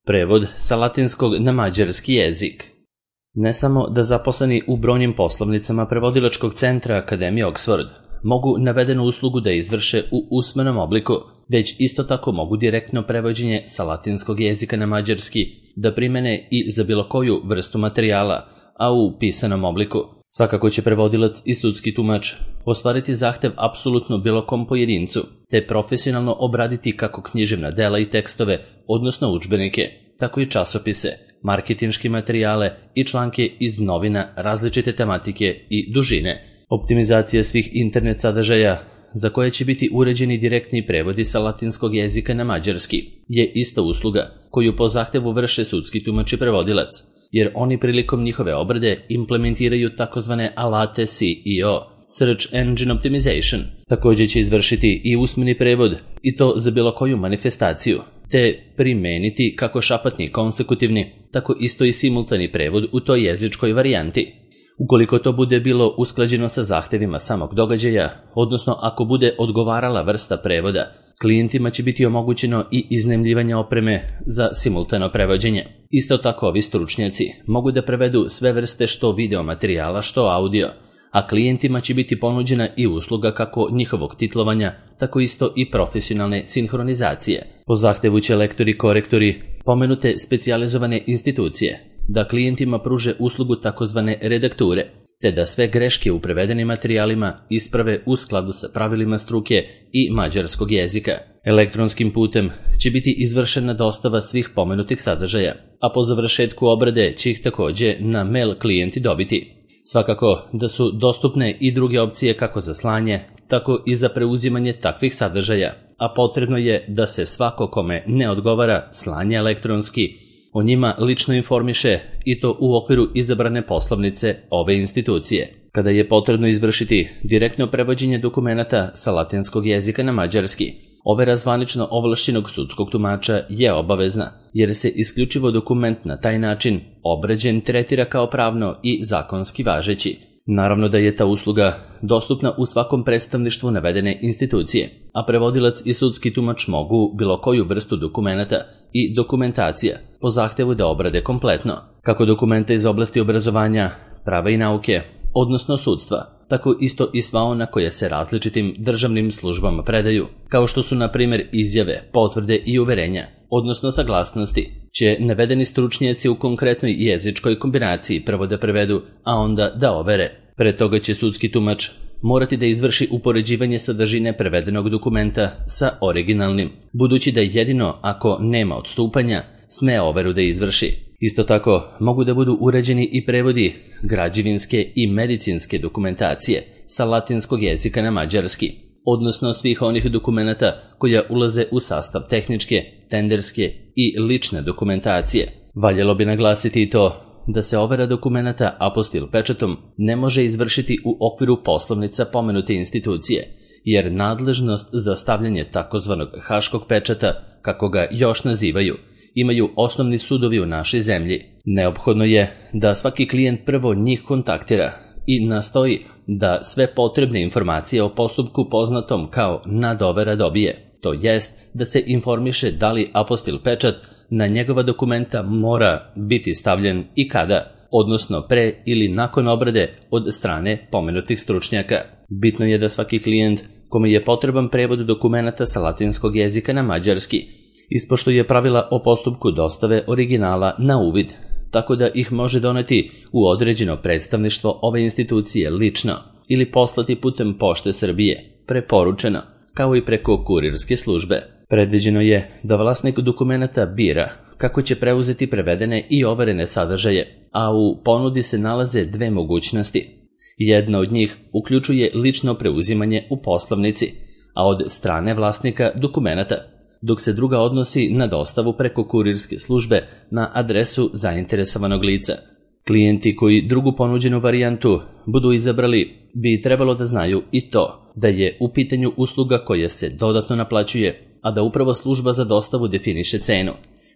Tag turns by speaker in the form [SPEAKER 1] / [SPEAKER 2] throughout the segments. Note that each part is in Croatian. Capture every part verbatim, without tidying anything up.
[SPEAKER 1] Prevod sa latinskog na mađarski jezik. Ne samo da zaposleni u brojnim poslovnicama prevodilačkog centra Akademije Oxford mogu navedenu uslugu da izvrše u usmenom obliku, već isto tako mogu direktno prevođenje sa latinskog jezika na mađarski da primene i za bilo koju vrstu materijala, a u pisanom obliku. Svakako će prevodilac i sudski tumač ostvariti zahtev apsolutno bilo kom pojedincu, te profesionalno obraditi kako književna dela i tekstove, odnosno udžbenike, tako i časopise, marketinške materijale i članke iz novina različite tematike i dužine. Optimizacija svih internet sadržaja, za koje će biti uređeni direktni prevodi sa latinskog jezika na mađarski, je ista usluga koju po zahtevu vrše sudski tumač i prevodilac, jer oni prilikom njihove obrade implementiraju takozvane alate S E O, Search Engine Optimization. Također će izvršiti i usmeni prevod, i to za bilo koju manifestaciju, te primeniti kako šapatni konsekutivni, tako isto i simultani prevod u toj jezičkoj varijanti. Ukoliko to bude bilo usklađeno sa zahtevima samog događaja, odnosno ako bude odgovarala vrsta prevoda, klijentima će biti omogućeno i iznajmljivanje opreme za simultano prevođenje. Isto tako ovi stručnjaci mogu da prevedu sve vrste što video materijala, što audio, a klijentima će biti ponuđena i usluga kako njihovog titlovanja, tako isto i profesionalne sinhronizacije. Po zahtevu će lektori i korektori pomenute specijalizovane institucije da klijentima pruže uslugu takozvane redakture, te da sve greške u prevedenim materijalima isprave u skladu sa pravilima struke i mađarskog jezika. Elektronskim putem će biti izvršena dostava svih pomenutih sadržaja, a po završetku obrade će ih također na mail klijenti dobiti. Svakako da su dostupne i druge opcije kako za slanje, tako i za preuzimanje takvih sadržaja, a potrebno je da se svako kome ne odgovara slanje elektronski o njima lično informiše, i to u okviru izabrane poslovnice ove institucije. Kada je potrebno izvršiti direktno prevođenje dokumenata sa latinskog jezika na mađarski, overa zvanično ovlašćenog sudskog tumača je obavezna, jer se isključivo dokument na taj način obrađen tretira kao pravno i zakonski važeći. Naravno da je ta usluga dostupna u svakom predstavništvu navedene institucije, a prevodilac i sudski tumač mogu bilo koju vrstu dokumenata i dokumentacija po zahtevu da obrade kompletno, kako dokumenta iz oblasti obrazovanja, prava i nauke, odnosno sudstva, tako isto i sva ona koja se različitim državnim službama predaju, kao što su na primjer izjave, potvrde i uverenja, odnosno saglasnosti, će navedeni stručnjaci u konkretnoj jezičkoj kombinaciji prvo da prevedu, a onda da overe. Pre toga će sudski tumač morati da izvrši upoređivanje sadržine prevedenog dokumenta sa originalnim, budući da jedino ako nema odstupanja sme overu da izvrši. Isto tako mogu da budu uređeni i prevodi građevinske i medicinske dokumentacije sa latinskog jezika na mađarski, odnosno svih onih dokumenata koja ulaze u sastav tehničke, tenderske i lične dokumentacije. Valjalo bi naglasiti i to da se overa dokumenata apostil pečatom ne može izvršiti u okviru poslovnica pomenute institucije, jer nadležnost za stavljanje takozvanog haškog pečata, kako ga još nazivaju, imaju osnovni sudovi u našoj zemlji. Neophodno je da svaki klijent prvo njih kontaktira i nastoji da sve potrebne informacije o postupku poznatom kao nadovera dobije, to jest da se informiše da li apostil pečat na njegova dokumenta mora biti stavljen i kada, odnosno pre ili nakon obrade od strane pomenutih stručnjaka. Bitno je da svaki klijent kome je potreban prevod dokumenata sa latinskog jezika na mađarski ispoštuje pravila o postupku dostave originala na uvid, tako da ih može doneti u određeno predstavništvo ove institucije lično ili poslati putem Pošte Srbije, preporučeno, kao i preko kurirske službe. Predviđeno je da vlasnik dokumenata bira kako će preuzeti prevedene i overene sadržaje, a u ponudi se nalaze dve mogućnosti. Jedna od njih uključuje lično preuzimanje u poslovnici, a od strane vlasnika dokumenata, dok se druga odnosi na dostavu preko kurirske službe na adresu zainteresovanog lica. Klijenti koji drugu ponuđenu varijantu budu izabrali bi trebalo da znaju i to da je u pitanju usluga koja se dodatno naplaćuje, a da upravo služba za dostavu definiše cenu,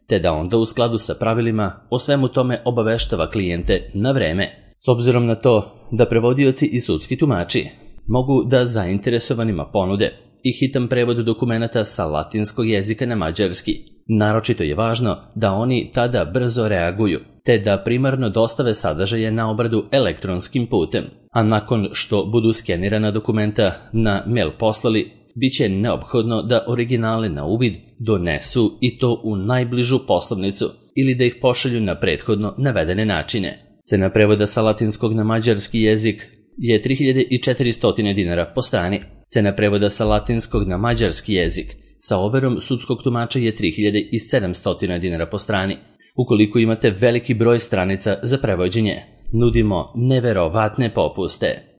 [SPEAKER 1] te da onda u skladu sa pravilima o svemu tome obaveštava klijente na vreme. S obzirom na to da prevodioci i sudski tumači mogu da zainteresovanima ponude i hitan prevod dokumenata sa latinskog jezika na mađarski, Naročito je važno da oni tada brzo reaguju, te da primarno dostave sadržaje na obradu elektronskim putem, a nakon što budu skenirana dokumenta na mail poslali, bit će neophodno da originale na uvid donesu i to u najbližu poslovnicu ili da ih pošalju na prethodno navedene načine. Cena prevoda sa latinskog na mađarski jezik je tri hiljade četiristo dinara po strani. Cena prevoda sa latinskog na mađarski jezik sa overom sudskog tumača je tri hiljade sedamsto dinara po strani. Ukoliko imate veliki broj stranica za prevođenje, nudimo neverovatne popuste.